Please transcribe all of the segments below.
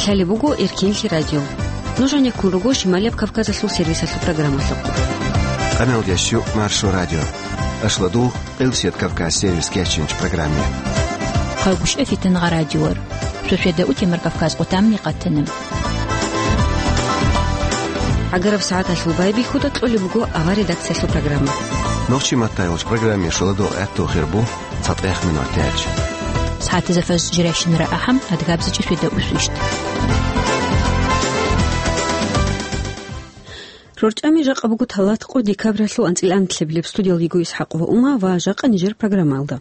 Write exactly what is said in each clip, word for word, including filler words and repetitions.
Лъалеб буго Эркенлъи радио. Нуж гьанеккун руго Шималияб Кавказалъул сервисалъул программалъухъ. Къаналдеш Маршо радио. Ашладул, Къилсият Кавказ сервис кечинч программе. Хъагушев Фитангъа радиор. Шошеда утемар Кавказ къутамни къатана. ГӀагараб сагӀаталъул байбихьуда кьолеб буго авар редакциялъул программа. Нохчи маттайолч программе шоладо гӀатту хирбу. ЦатӀех минутач. СагӀатазда фаз жирайщинара ахӀам, адгабзичӀи шведа усвищт. РорчӀами жакъа буго талатӀкъо декабралъул анцӀил анлъабилеб. Студиялдиго Исхакъова Ума ва жакъа нижер программалда.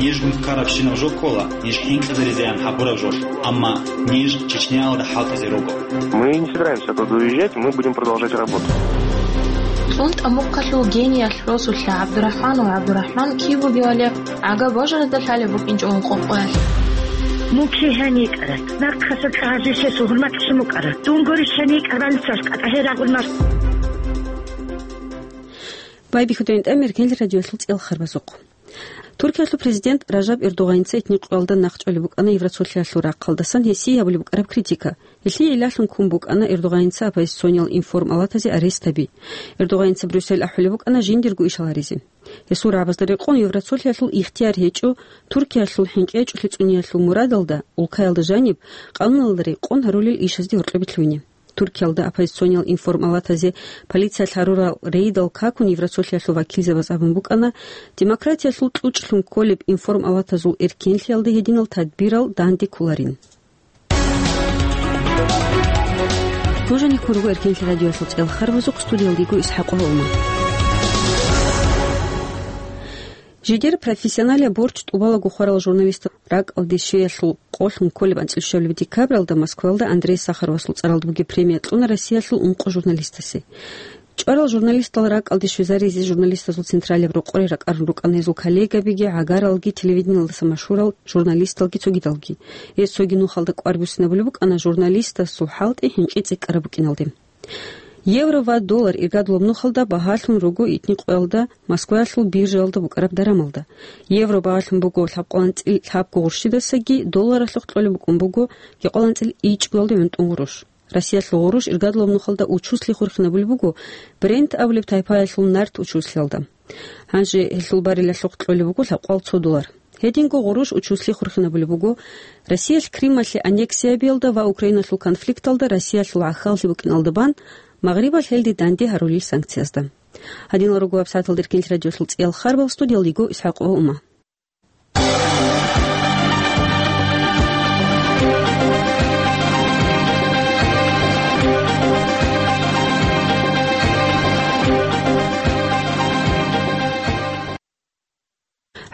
Нижгун ккарабщинаб жо ккола, ниж хӀинкъизаризеян гьабураб жо, амма ниж Чечняялда хӀалтӀизе руго. Мы не собираемся оттуда уезжать, мы будем продолжать работу. ЦӀунтӀа мухъалъул гениялъ росулъа ГӀабдурахӀман ва ГӀабдурахӀман киб бугевали гӀага божарада лъалеб букӀинчӀо ункъо къоялъ. Мун кигьан йикӀарай, нахъаса кагъазилъе сугьурмат лъун букӀара. Дун гурищ гьанир кӀарбалицалъ кӀатӀа гьерагъулмар. Байбихьуда ин тӀамир гел радиолъул цӀел харбазухъ. Туркиялъул президент Ражаб Эрдогъаница итни къоялда нахъчӀвалеб букӀана Евросулъиялъул рахъалдасан гьесие гьабулеб букӀараб критика. Гьелъие гӀиллалъун ккун букӀана Эрдогъаница оппозициониял информалатазе арест гьаби. Эрдогъаница Брюссель ахӀулеб букӀана жиндирго ишал гьаризе. Гьесул рагӀабазда рекъон Евросулъиялъул ихтияр гьечӀо Туркиялъул хӀинкъичӀолъи цӀуниялъул мурадалда улкаялда жаниб къануналда рекъон гьарулел ишазде гьоркьоб лъугьине. Туркиялда оппозициониял информалатазе полициялъ гьарурал рейдал какун Евросулъиялъул вакилзабаз абун букӀана, демократиялъул кьучӀлъун кколеб информалатазул эркенлъиялда гьединал тадбирал данде кколарин. Нуж гьанеккун руго Эркенлъи радиоялъул цӀел харбазухъ, студиялдиго Исхакъова Ума. Жидер профессионалияб борч тӀубалаго хварал журналист ракӀалде щвеялъул къолъун кколеб анцӀил щолеб декабралда Москвалда Андрей Сахаровасул цӀаралда бугеб премия кьуна Россиялъул ункъо журналистасе. ЧӀварал журналистал ракӀалде щвезаризе журналистазул централияб рокъоре ракӀарун рукӀана гьезул коллегабиги, гӀагаралги, телевидениялдаса машгьурал журналисталги цогидалги. Гьез цоги нухалда кӀвар буссинабулеб букӀана журналистасул хӀалтӀи хӀинкъи цӀикӀкӀараб букӀиналде. Евро ва доллар иргадулаб нухалда багьалъун руго итни къоялда Москваялъул биржаялда букӀараб дарамалда. Евро багьалъун буго лъабкъоланцӀил лъабго гъурщидасаги, долларалъухъ кьолеб букӀун буго гьекъоланцӀил ичӀгоялда гӀунтӀун гъурущ. Россиялъул гъурущ иргадулаб нухалда учуслъи хурхинабулеб буго Брент абулеб тайпаялъул нарт учуслъиялда. Гьанже гьелъул барилалъухъ кьолеб буго лъабкъвал цо доллар. Гьединго гъурущ учуслъи хурхинабулеб буго Россиялъ Крымалъе аннексия гьабиялда ва Украиналъул конфликталда Россиялъул гӀахьаллъи букӀиналда бан, Магърибалъ гьелде данде гьарулел санкциязда. Гьадинал руго гьабсагӀаталда Эркенлъи радиолъул цӀиял харбал, студиялдиго Исхакъова Ума.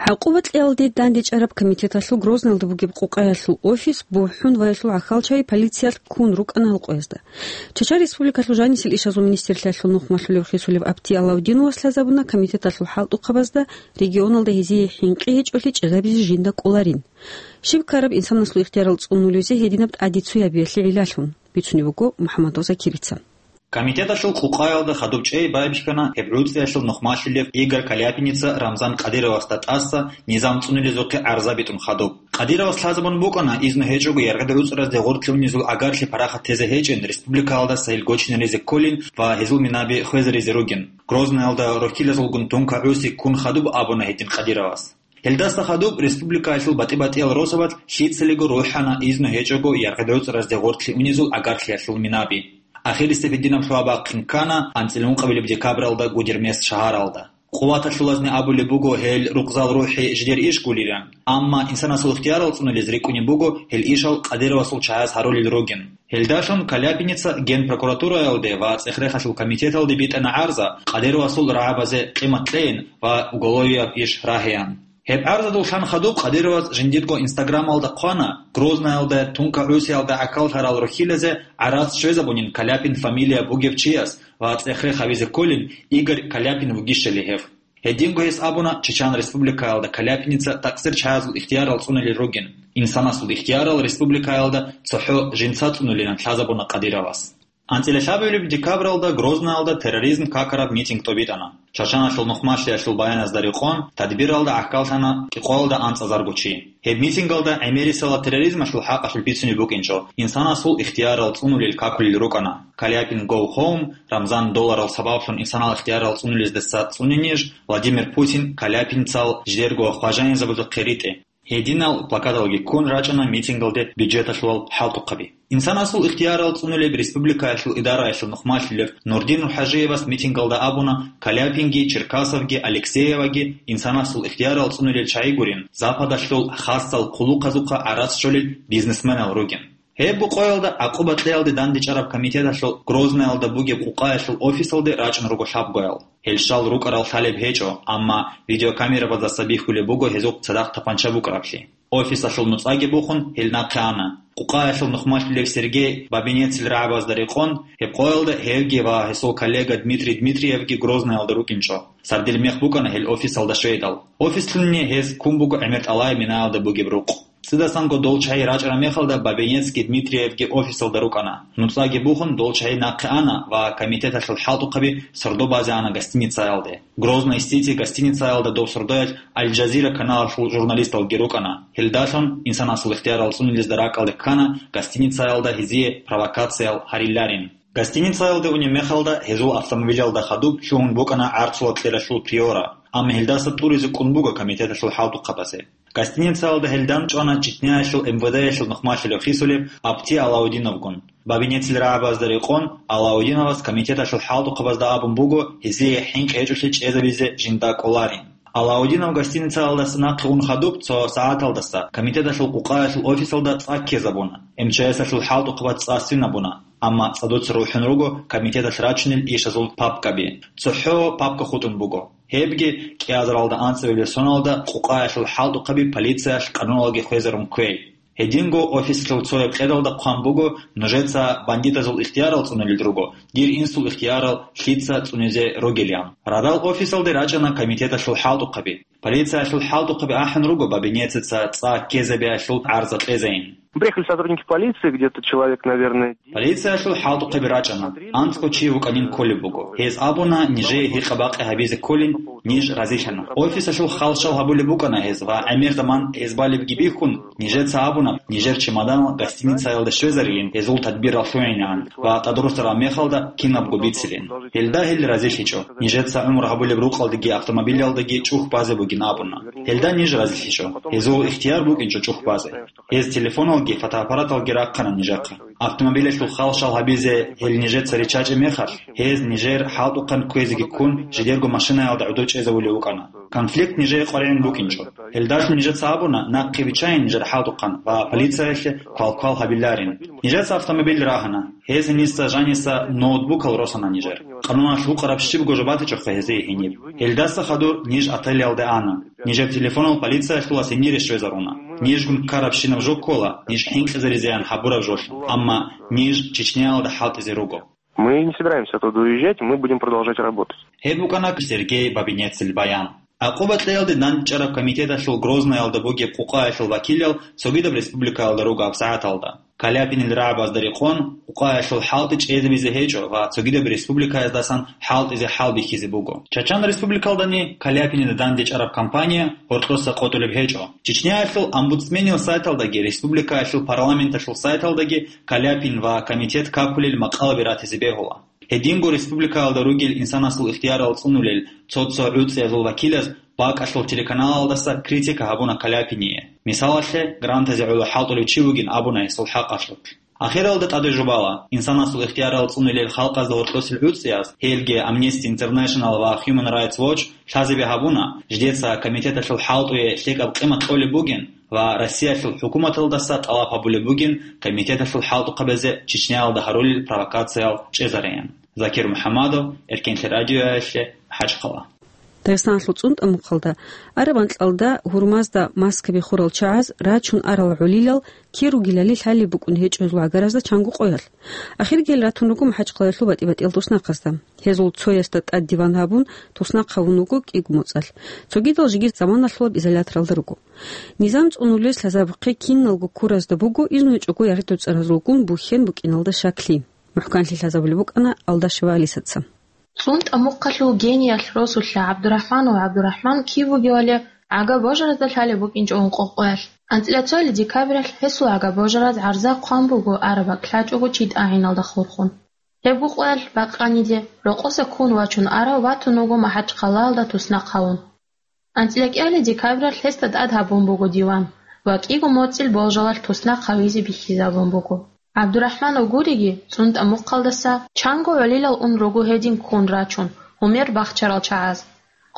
ГӀакъуба кьеялде дандечӀараб комитеталъул Грозныйалда бугеб къукъаялъул офис бухӀун ваялъул гӀахьалчагӀи полициялъ ккун рукӀана гьал къоязда. Чача Республикалъул жанисел ишазул министрлъиялъул нухмалъулев хисулев Апти Алавдиновас лъазабуна комитеталъул хӀалтӀухъабазда регионалда гьезие хӀинкъи гьечӀолъи чӀезабизе жинда кӀоларин. Щиб ккараб инсанасул ихтиярал цӀунулезе гьединаб тӀаде цуябиялъе гӀиллалъун, бицунеб буго МухӀаммадов Закирица. Комитеталъул къукъаялда хадуб чӀей байбихьана гьеб гӀуцӀиялъул нухмалъулев Игорь Каляпиница Рамзан Кадыровасда тӀаса низам цӀунулезухъе гӀарза битӀун хадуб. Кадыровас лъазабун букӀана, изну гьечӀого яргъида гӀуцӀразде гъортлъи унезул агарли парахат тезе гьечӀин, республикаялда сайил гочинеризе кколин ва гьезул минаби хвезаризе ругин. Грозныйалда рохьилазулгун тунка гӀуси ккун хадуб абуна гьедин Кадыровас. Гьелдаса хадуб республикаялъул батӀи-батӀиял росабалъ лъицалиго рухӀана изну гьечӀого яргъида гӀуцӀразде гъортлъи унезул агарлъиялъул минаби. Ахирисеб гьединаб лъугьа-бахъин ккана анцӀила ункъабилеб декабралда Гудермес шагьаралда. Къуваталъулазни абулеб буго гьел рукъзал рухӀи жидер иш гулилан, амма инсанасул ихтиярал цӀунулез рикӀкӀунеб буго гьел ишал Кадыровасул чагӀаз гьарулел ругин. Гьелдалъун Каляпиница Генпрокуратураялде ва ЦӀехрехалъул комитеталде битӀана гӀарза Кадыровасул рагӀабазе къимат кьейин ва уголовияб иш рагьеян. Гьеб гӀарзадуллъан хадуб Кадыровас жиндирго Инстаграмалда хъвана, Грознаялда тунка гӀусиялда гӀахьаллъарал рухьилазе гӀарац щвезабунин Каляпин фамилия бугев чияс ва цӀехре гьавизе кколин, Игорь Каляпин вугищали гьев. Гьединго гьес абуна, Чечан Республикаялда Каляпиница такъсир чагӀазул ихтиярал цӀунулел ругин, инсанасул ихтиярал республикаялда цохӀо жинца цӀунулилан лъазабуна Кадыровас. АнцӀила лъабабилеб декабралда Грознаялда терроризм какараб митинг тӀобитӀана. Чачаналъул нухмалъиялъул баяназда рекъон, тадбиралда гӀахьаллъана кӀикъоялда анцӀазарго чи. Гьеб митингалда гӀемерисела терроризмалъул хӀакъалъулъ бицунеб букӀинчӀо, инсанасул ихтиярал цӀунулел какулел рукӀана. Каляпин Go Home, Рамзан долларал сабаблъун инсанал ихтиярал цӀунулездаса цӀуне ниж, Владимир Путин Каляпинцал жидерго хважаинзабазухъе ритӀе. Гьединал плакаталги ккун рачӀана митингалде бюджеталъул хӀалтӀухъаби. Инсанасул ихтиярал цӀунулеб республикаялъул идараялъул нухмалъулев Нурдин Рухьажиевас митингалда абуна, Каляпинги, Черкасовги, Алексееваги инсанасул ихтиярал цӀунулел чагӀи гурин, Западалъул хасал хъулухъазухъа гӀарац щолел бизнесменал ругин. Гьеб букъоялда гӀакъуба кьеялде дандечӀараб комитеталъул Грознаялда бугеб къукъаялъул офисалде рачӀун руго лъабгоял. Гьел щал рукӀарал лъалеб гьечӀо, амма видеокамерабаздаса бихьулеб буго гьезухъ цадахъ тапанча букӀараблъи. Офисалъул нуцӀаги бухун, гьел нахъе ана. Къукъаялъул нухмалъулев Сергей Бабинецил рагӀабазда рекъон, гьеб къоялда гьевги ва гьесул коллега Дмитрий Дмитриевги Грознаялда рукӀинчӀо. Сардил мех букӀана гьел офисалда щвейдал. Офислъунни гьез ккун буго ГӀемертӀалаев Минаялда бугеб рукъ. ЦӀидасанго дол чагӀи рачӀараб мехалда Бабинецги Дмитриевги офисалда рукӀана. НуцӀаги бухун, дол чагӀи нахъе ана ва комитеталъул хӀалтӀухъаби сордо базе ана гостиницаялде. Грозный Сити гостиницаялда доб сордоялъ Аль-Джазира каналалъул журналисталги рукӀана. Гьелдалъун инсанасул ихтиярал цӀунилезда ракӀалде ккана гостиницаялда гьезие провокациял гьарилларин. Гостиницаялде унеб мехалда гьезул автомобилалда хадуб лъугьун букӀана гӀарцула кьералъул Приора, амма гьелдаса тӀуризе кӀун буго комитеталъул хӀалтӀухъабазе. Гостиницаялда гьел данчӀвана Чечняялъул МВД-ялъул нухмалъулев хисулев Апти Алаудиновгун. Бабинецил рагӀабазда рекъон, Алаудиновас комитеталъул хӀалтӀухъабазда абун буго гьезие хӀинкъи гьечӀолъи чӀезабизе жинда кӀоларин. Алаудинов гостиницаялдаса нахъе ун хадуб цо сагӀаталдаса комитеталъул къукъаялъул офисалда цӀа ккезабуна. МЧС-алъул хӀалтӀухъабаз цӀа свинабуна, амма цӀадуца рухӀун руго комитеталъ рачунел ишазул папкаби. ЦохӀо папка хутӀун буго. Гьебги кӀиазаралда анцӀабилеб соналда къукъаялъул хӀалтӀухъаби полициялъ къануналги хвезарун кквей. Гьединго офисалъул цояб къедалда хъван буго, нужеца бандитазул ихтиярал цӀунулел руго, дир инсул ихтиярал лъица цӀунизе ругилан. Радал офисалде рачӀана комитеталъул хӀалтӀухъаби. Полициялъул хӀалтӀухъаби ахӀун руго Бабинецица цӀа ккезабиялъул гӀарза кьезайин. Приехали сотрудники полиции, где-то человек, наверное, Полициялъул хӀалтӀухъаби рачӀана. АнцӀго чи вукӀанин кколеб буго. Гьез абуна, нижее гьикъа-бакъи гьабизе кколин, ниж разилъана. Офисалъул халщал гьабулеб букӀана гьез ва гӀемер заман гьез балебги бихьун, нижеца абуна, нижер чемоданал гостиницаялда щвезарилин, гьезул тадбирал лъугӀинегӀан ва тӀадрусараб мехалда кинабго бицилин. Гьелда гьел разилъичӀо. Нижеца гӀумру гьабулеб рукъалдаги автомобилалдаги чӀухь базе бугин абуна. Гьелда ниж разилъичӀо. Гьезул ихтияр букӀинчӀо чӀухь базе. Гьез телефоналги фотоаппараталги рахъана нижехъе. Автомобилалъул халщал гьабизе гьел нижеца риччачӀеб мехалъ, гьез нижер хӀалтӀухъан кквезеги ккун, жидерго машинаялда гӀодов чӀезавулев вукӀана. Конфликт нижее къваригӀун букӀинчӀо. Гьелдалъун нижеца абуна, нахъе биччайин нижер хӀалтӀухъан ва полициялъе квалквал гьабиларин. Нижеца автомобиль рагьана. Гьез гьениса жаниса ноутбукал росана нижер. Къануналъ букъараб щибго жо батичӀоха гьезие гьениб. Гьелдаса хадур ниж отелалде ана. Нижер телефонал полициялъулас гьенире щвезаруна. Нижгун ккарабщинаб жо ккола, ниж хӀинкъизаризеян гьабураб жолъун, амма ниж Чечняялда хӀалтӀизе руго. Мы не собираемся оттуда уезжать, мы будем продолжать работать. Гьеб букӀана Сергей Бабинецил баян. ГӀакъуба кьеялде дандчӀараб комитеталъул Грознаялда бугеб къукъаялъул вакилал цогидаб республикаялда руго гьабсагӀаталда. Каляпинил рагӀабазда рекъон, къукъаялъул хӀалтӀи чӀезабизе гьечӀо ва цогидаб республикаяздасан хӀалтӀизе хӀалбихьизе буго. Чачан республикалдани Каляпинида дандечӀараб кампания гьоркьоса къотӀулеб гьечӀо. Чечняялъул омбудсменил сайталдаги республикаялъул парламенталъул сайталдаги Каляпин ва комитет какулел макъалаби ратизе бегьула. Гьединго республикаялда ругел инсанасул ихтиярал цӀунулел цо-цо гӀуцӀиязул вакилаз бакӀалъул телеканалалдаса критика гьабуна Каляпине. Мисалалъе, грантазе гӀоло хӀалтӀулев чи вугин абуна гьесул хӀакъалъулъ. Ахиралда тӀаде жубала, инсанасул ихтиярал цӀунулел халкъазда гьоркьосел гӀуцӀияз, гьелги Amnesty International ва Human Rights Watch, лъазабе гьабуна, жидеца комитеталъул хӀалтӀуе лъикӀаб къимат кьолеб бугин ва Россиялъул хӀукуматалдаса тӀалаб гьабулеб бугин комитеталъул хӀалтӀухъабазе Чечняялда гьарулел провокациял чӀезареян. Закир МухӀаммадов, Эркенлъи радиоялъе, ХӀачхъала. Дагъистаналъул цӀунтӀа мухъалда, араб анкьалда гьурмазда маскаби хурал чагӀаз рачун арал гӀолилал кир ругелали лъалеб букӀун гьечӀо гьезул гӀагаразда чанго къоялъ. Ахирги гьел ратун руго МахӀачхъалаялъул батӀи-батӀиял туснахъазда. Гьезул цоясда тӀад диван гьабун, туснахъ гьавун вуго кӀигу моцӀалъ. Цогидал жеги заманалъулаб изоляторалда руго. Низам цӀунулес лъазабухъе киналго куразда буго изну гьечӀого ягъи-доцӀаразулгун бухьен букӀиналда щаклъи. МухӀканлъи лъазабулеб букӀана Алдашева Алисаца. ЦӀунтӀа мухъалъул гениялъ росулъа ГӀабдурахӀманов ГӀабдурахӀман кив вугевали гӀага божаразда лъалеб букӀинчӀо ункъо-къоялъ. АнцӀила цоялъ декабралъ гьесул гӀага божараз гӀарза хъван буго араб бакӀ лъачӀого чи тӀагӀиналда хурхун. Гьеб къоялъ бакъаниде, рокъоса ккун вачун арав ватун вуго МахӀачхъалаялда туснахъ гьавун. АнцӀила кӀиабилеб декабралъ гьесда тӀад гьабун буго диван ва кӀиго моцӀил болжалалъ туснахъ гьавизе бихьизабун буго. ГӀабдурахӀманов гуриги, ЦӀунтӀа мухъалдаса чанго гӀолилал ун руго гьедин ккун рачун гьумер бахчарал чагӀаз: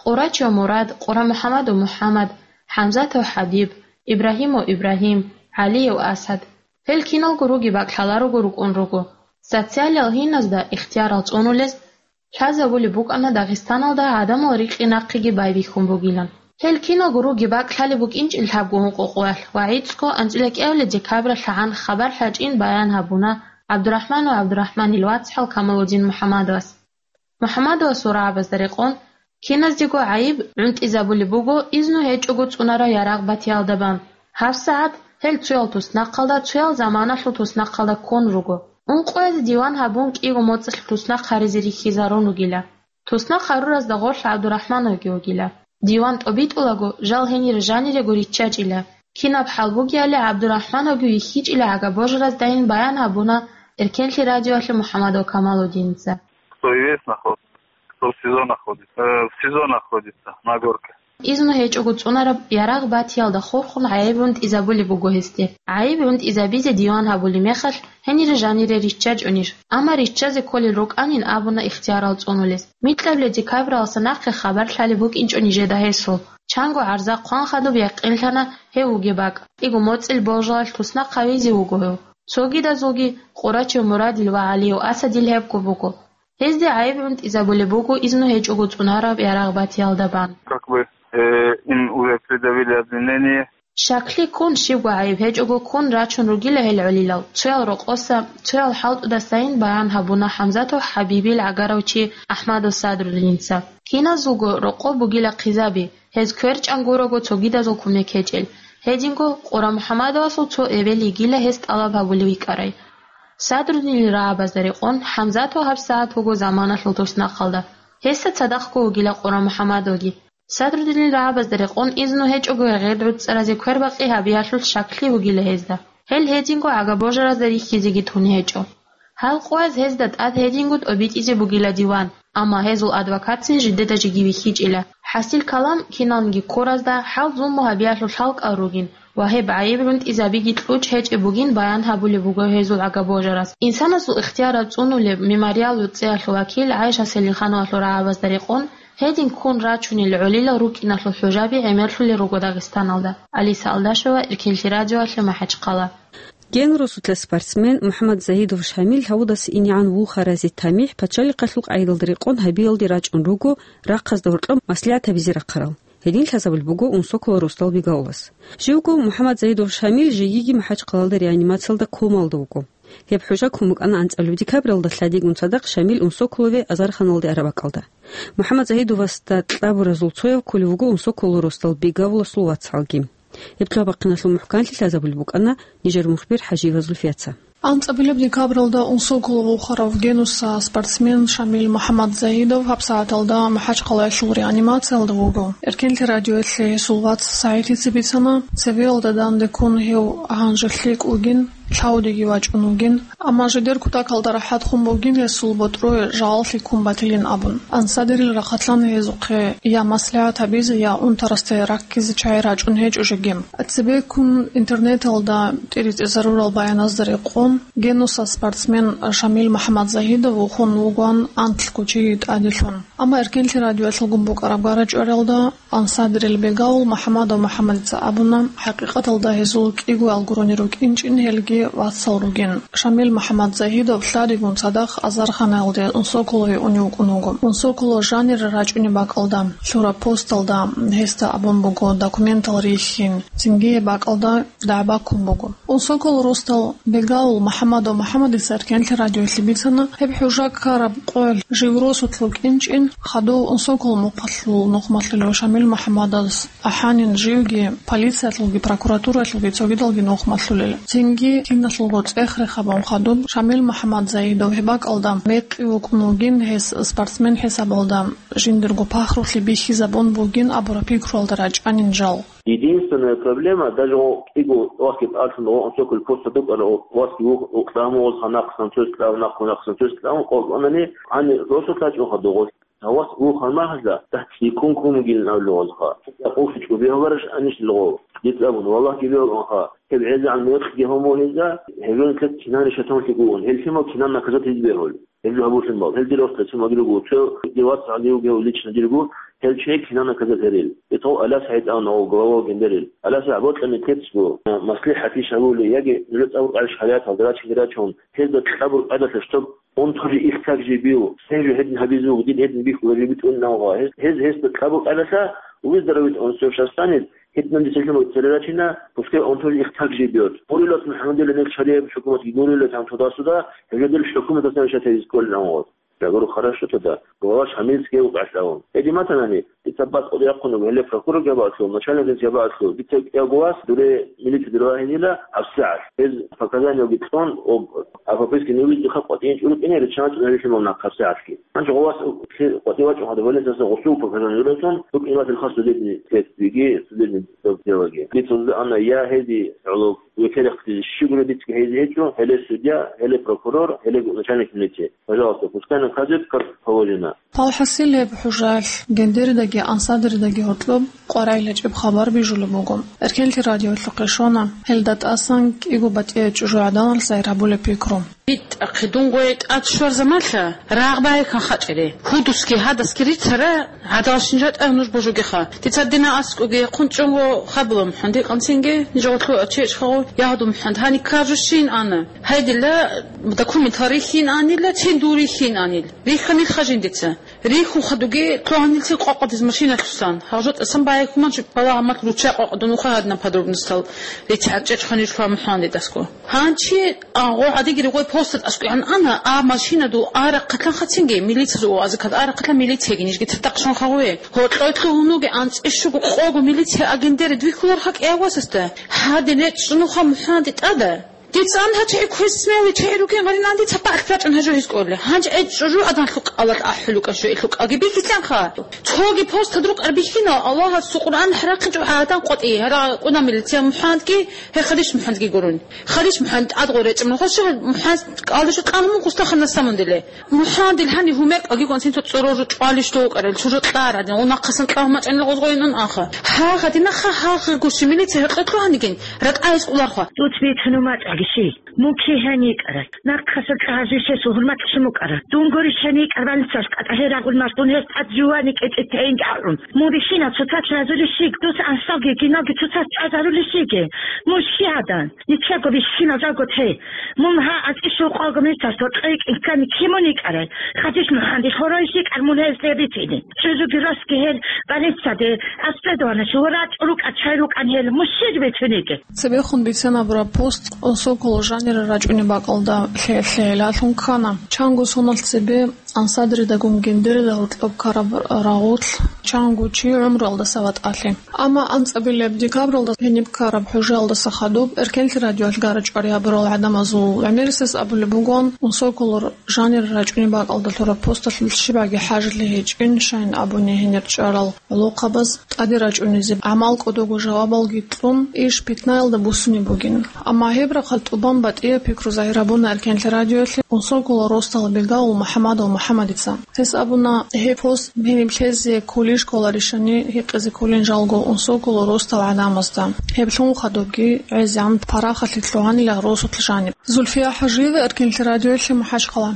Къурачев Мурад, Къурамухьамадов МухӀаммад, ХӀамзатов ХӀабиб, Ибрагьимов Ибрагьим, ГӀалиев Асад. Гьел киналго руги бакӀ лъаларого рукӀун руго. Социалиял гьиназда ихтиярал цӀунулез лъазабулеб букӀана Дагъистаналда гӀадамал рикьи-нахъеги байбихьун бугилан. Гьел киналго руги бакӀ лъалеб букӀинчӀин лъабго ункъо-къоялъ ва гӀицӀго анцӀила кӀиабилеб декабралъ гӀан хабар лъачӀин баян гьабуна ГӀабдурахӀманов ГӀабдурахӀманил вацгӀал Камалудин МухӀаммадовас. МухӀаммадовасул рагӀабазда рекъон, киназдего гӀайиб гӀунтӀизабулеб буго изну гьечӀого цӀунараб ярагъ батиялда бан. ГьабсагӀат гьел цоял туснахъалда, цоял заманалъул туснахъалда ккун руго. Ункъоязе диван гьабун кӀиго моцӀалъ туснахъ гьаризе рихьизарун ругила. Туснахъ гьаруразда гъорлъ ГӀабдурахӀмановги вугила. Диван тӀобитӀулаго, жал гьенир жанирего риччачӀила. Кинаб хӀал бугеали, ГӀабдурахӀмановги вихьичӀила гӀага божараздайин баян гьабуна Эркенлъи радиоялъе МухӀаммадов Камалудиница. Кто и весь находится, кто в СИЗО находится, э, в СИЗО находится, на горке. Изну гьечӀого цӀунараб ярагъ батиялда хурхун гӀайиб гӀунтӀизабулеб буго гьесде. ГӀайиб гӀунтӀизабизе диван гьабулеб мехалъ, гьенир жанире риччачӀунищ? Амма риччазе кколел рукӀанин абуна ихтиярал цӀунулес. Микьабилеб декабралдаса нахъе хабар лъалеб букӀинчӀо нижеда гьесул. Чанго гӀарза хъван хадуб якъинлъана гьев вугеб бакӀ. КӀиго моцӀил болжалалъ туснахъ гьавизе вуго гьев. Цогидазулги, Къурачев Мурадил ва ГӀалиев Асадил гьебго буго. Гьезде гӀайиб гӀунтӀизабулеб буго изну гьечӀого цӀунараб ярагъ батиялда бан. Как бы, э, им уже предъявили обвинение. Щаклъи ккун, щибго гӀайиб гьечӀого ккун рачун ругила гьел гӀолилал, цоял рокъоса, цоял хӀалтӀудасайин баян гьабуна ХӀамзатов ХӀабибил гӀагарав чи АхӀмадов Садрудиница. Киназулго рокъоб бугила хъизаби, гьез кверчӀан гурого цогидазул кумек гьечӀел. Гьединго Къурамухьамадовасул цо эбел йигила гьес тӀалаб гьабулев йикӀарай. Садрудинил рагӀабазда рекъон, ХӀамзатов гьабсагӀат вуго заманалъул туснахъалда. Гьесда цадахъго вугила Къурамухьамадовги. Садрудинил рагӀабазда рекъон изну гьечӀого гьегъел гӀуцӀаразе квербакъи гьабиялъул щаклъи вугила гьезда. Гьел гьединго гӀага божаразда рихьизеги тун гьечӀо. Гьал къояз гьезда тӀад гьединго тӀобитӀизе бугила диван, амма гьезул адвокатцин жидеда жеги вихьичӀила. ХӀасил калам киналниги ккоразда хӀал-зулму гьабиялъул лъалкӀал ругин ва гьеб гӀайиб гӀунтӀизабиги кьучӀ гьечӀеб бугин баян гьабулеб буго гьезул гӀага божарас. Инсанасул ихтиярал цӀунулеб Мемориал гӀуцӀиялъул вакил ГӀайша Селихановалъул рагӀабазда рекъон, гьедин ккун рачунел гӀолилал рукӀиналъул хӀужаби гӀемерлъулел руго Дагъистаналда. Алиса Алдашева, Эркенлъи радиоялъе, МахӀачхъала. Генросулъа спортсмен МухӀаммад Загьидов Шамил гьавудаса инегӀан вухаразе тамихӀ пачалихъалъул къагӀидалда рекъон гьабиялде рачӀун руго рахъазда гьоркьоб маслигӀат гьабизе рахъарал. Гьедин лъазабулеб буго Унсоколов Рустал Бегаулас. Живго МухӀаммад Загьидов Шамил жегиги МахӀачхъалалда реанимациялда комаялда вуго. Гьеб хӀужа ккун букӀана анцӀабилеб декабралда лъадигун цадахъ Шамил Унсоколове азарханалде араб бакӀалда. МухӀаммад Загьидовасда кьабуразул цояв кколев вуго Унсоколов Рустал Бегауласул вацгӀалги. Гьеб лъабахъиналъул мухӀканлъи лъазабулеб букӀана нижер мухбир ХӀажиева Зульфияца. АнцӀабилеб декабралда Унсоколов вухарав Генуса спортсмен Шамил МухӀаммад Загьидов гьабсагӀаталда МахӀачхъалаялъул реанимациялда вуго. Эркенлъи радиоялъе гьесул вац СагӀидица бицана, цевеялда данде ккун гьев гьанже лъикӀ вугин, лъавдиги вачӀун вугин, амма жидер кутакалда рахӀат хун бугин гьесул ботӀрое жалалъи ккун батилин абун. Ансадерил рахъалъан гьезухъе я маслигӀат гьабизе, я унтарасде раккизе чагӀи рачӀун гьечӀо жеги. Цебеккун интернеталда тӀиритӀизарурал баяназда рекъон, Генуса спортсмен Шамил МухӀаммад Загьидов вухун вугоан анлъго чи тӀаделъун. Амма Эркенлъи радиоялъулгун букӀараб гара-чӀваралда Ансадерил Бегаул МухӀаммадов МухӀаммадица абуна, хӀакъикъаталда гьезул кӀиго ял гурони рукӀинчӀин, гьелги вацал ругин. Шамил МухӀаммад Загьидов лъадигун цадахъ азарханаялде Унсоколове унев вукӀун вуго. Унсоколов жанире рачӀунеб бакӀалда, лъураб посталда гьесда абун буго документал рихьин, цинги гьеб бакӀалда дагӀба ккун буго. Унсокол Рустал Бегаул МухӀаммадов МухӀаммадица Эркенлъи радиоялъе бицана, гьеб хӀужа ккараб къоялъ жив росулъ рукӀинчӀин, хадув Унсокол мухъалъул нухмалъулев Шамил МухӀаммадас ахӀанин живги, полициялъулги, прокуратуралъулги цогидалги нухмалъулел. Цинги Киналъулго цӀех рехабун хадуб Шамил МухӀаммадзагьидов гьеб бакӀалда мекъи вукӀун вугин, гьес спортсмен хӀисабалда жиндирго пахрулъи бихьизабун бугин абураб пикруялда рачӀанин жал. Единственная проблема, даже гъо-, кӀиго вахъги пӀалъун гъо-, цоколь поста дукӀана, гъо-, вахъги вух-, вух-, кьамугъоз гьанахъсан цоз кьав, нахъ нахъсан цоз кьав, къо-, къонани, гьанир росулъ рачӀун хадугъоз. Гьавас вух гьанмагьазда, дагьлъи ккун ккун бугилан абулугъозха. Якъуллъи чӀубиялараш анищ илгъов. Дица абун, валлагьги бегьулгӀанха, гьеб гӀезегӀан мекъги гьомогьезда, гьеб жо нилъер кинан решетанлъи гуун, гьел лъимал кинан наказать гьез бегьул. Гьеб жо гьабулъин бал. Гьел дир росла лъимал диргу, цо дир вацгӀал диргу, гьев личный диргу, гьел чи кинан наказать гьарил. Итгъав Аляс гьайтӀан гьав глава гендерил. Аляс гьабокьани тецго, маслихӀат иш гьабули, яги нужеца абуркъариш халятал, драчин дирачун, гьезда кьабур къайдалъа, чтоб он тоже их так же бил, гьев же гьедин гьабизе вуго, дин гьедин бихьула же битӀун нагъа. Гьез, гьез, гьез кьабул къайдалъа, выздоровеет он всё, что станет, гьединан дица лъимал цере рачина, пускай он тоже их так же бьёт. Гурилас МухӀаммадулла нел шарияб хӀукуматги гурилас гьан туда-суда, гьев же дил хӀукуматасан шатайзе кколин ан гъос. Я говорю, хорошо тогда. Глава Шамилский вукӀалъавун. Эдиматанани, дица бакъ кьодо яхъун вуго, гьеле прокурорги абаалъув, начальникги абаалъув, дица кӀиявго вас дуре милиция дурагьинила гьабсагӀат. Гьез показаниялги кьун, об, а по поиске невыезде хаб къватӀине чӀурукӀине, речаначӀун гьарилъи мав нахъ гьабсагӀатги. Гьанже гъо вас лъи-, къватӀи вачӀун гьадаб валесасан гъусул показание гьурасун, букӀин ватил хас судебный следствиеги, судебный делоги. Дица узда ана я гьеди гӀоло векерехъги щигура дицги гьезе гьечӀо, гьеле судья, гьеле прокурор, гьеле начальник милиции. Пожалуйста, пускай наказывают, как положено. Палхасилеб хӀужалъ гендеридаги ансадридаги гьоркьоб къваригӀел гьечӀеб хабар бижулеб буго. Эркенлъи радиолъухъе щвана гьелда тӀасан кӀиго батӀияб чӀужугӀаданалъ загьир гьабулеб пикру. БитӀахъе дун гъой тӀад щварзамалъа, рагъ байхьан хачӀире. Пудусги гьадасги рицара, гӀадалщин ратӀа нуж божугеха. Дица дина аскӀоги хъун чӀунго хабула МухӀанди къанцинги, нижагъулъу ачечӀхагъу, ягьуду МухӀанд гьани ккаржущин ана. Гьайдила документал рихьин анила, цин дур рихьин анил. Рихьани хажин дица. Рихьун хадуги, лъугьанилцин къвакъвадиз машиналъусан. ГьалжутӀасан байхьуман жуп балагьамат ручча къвакъ дунуха гьадна подробностал. РицгӀан чӀечӀхъанир лъугьа МухӀандидасго. Гьанчи, а, гъо гӀадигири гъой поста тӀаскӀугӀан ана, а машина ду а рахъалъан хацинги, милицазу у азакад а рахъалъан милицияги нижги тартахъшан хагъуе. Гьоркьой лъугьунуги анцӀишугу къого милиция агендери двихьулар хакӀи авасасда. Гьадин речӀчӀунуха МухӀанди тӀада. Дица ан гьачи гӀикквес смелый чагӀи ругин гъарин анди цапа алъ рачӀун гьажу гьез кӀоле. Гьанчи гӀечӀо жу адан лъукъалал ахӀулукӀа жу лъукъаги бихьилъанха. Цоги поста друкъ арбихьина, Аллагьас сукъуран хӀарахъинчӀо гӀадан къотӀи, гьара кӀуна милиция МухӀандги, гье хадиш МухӀандги гурун. Хадиш МухӀанд тӀадгъо речӀ мун, хадиш МухӀанд кӀалдишу кьан мун гъусла ханна самундиле. МухӀандил гьани гьумекъаги гонсин цо цӀорор чӀвалищ довукӀарал, чужо кьарадин, унахъасан кьав мачӀанил гъозгъойнун анха. Гьагъадинаха гьагъа гуши милиция гьекъетлъу гьанигин, ракӀайс улархва. Дуц бицунев мачӀаги щи? Мун кигьани йикӀарай? Нахъаса кьажи сесул гьурмат лъимукӀара. Дун гури шани йикӀар балницалъ кӀатӀа гьерагъул мартун гьес тӀад жувани кӀечӀи тейин гӀарун. Мун рихьина цоцалъ разулищ йиг, дус анщалги гиналги цоцалъ чӀвазарулищ йиги? Мун щи гьадан? Ничего бихьина жаго те. Мун гьа анцӀишул къого мисалъ кьейкӀин ккани кимун йикӀарай? Хадис МухӀанди лъоройищ йикӀар мун гьезде бицини? Чузуги росги гьел балницаде обследованиялъ ва рачӀ рукӀа чай рукӀан гьел мун щир бицуниги? Цебехун бицен абураб пост Онсоколо жанира рачӀунеб бакӀалда лъе-, лъегӀилалъун ккана. Чанго соналъ цебе ансадридагун гендерида гьоркьоб ккараб рагъулъ чанго чи гӀумруялдаса ватӀалъе. Амма анцӀабилеб декабралда гьениб ккараб хӀужаялдаса хадуб Эркенлъи радиоялъ гара чӀвари гьабурал гӀадамазул гӀемерисез абулеб бугон, Онсоколор жанира рачӀунеб бакӀалда лъураб посталъул щибаги хӀажалъи гьечӀин, щайин абуни гьенир чӀарал гӀолохъабаз тӀаде рачӀунезеб гӀамал кӀодого жавабалги кьун, иш питнаялда буссунеб бугин. Амма гьеб рахъалъ тӀубан батӀияб пикру загьир гьабуна Эркенлъи радиоялъе Онсоколо росдал Бегавул МухӀаммадов МухӀаммадица. Гьес абуна, гьеб пост гьениб лъезе кколищ кколарищани гьикъизе кколин, жалго Онсоколо росдал гӀадамазда. Гьеб лъун хадубги гӀезегӀан парахалъе лъугьанила росулъ жаниб. Зульфия ХӀажиева, Эркенлъи радиоялъе, МахӀачхъала.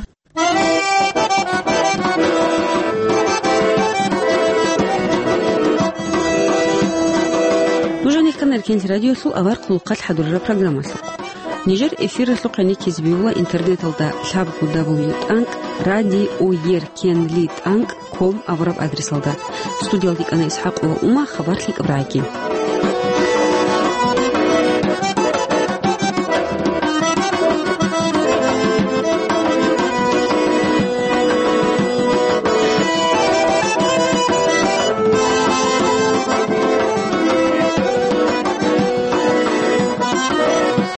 Нуж гьанихъан Эркенлъи радиолъул авар хъулухъалъ хӀадурараб программалъухъ. Нижер эфиралъухъ гьаниккизе бегьула интернеталда лъабго дабл ю тӀанкӀ радиоеркенли тӀанкӀ ком абураб адресалда. Студиялда кӀана ИсхӀакъова Ума, хабар лъикӀаб рагӀаги.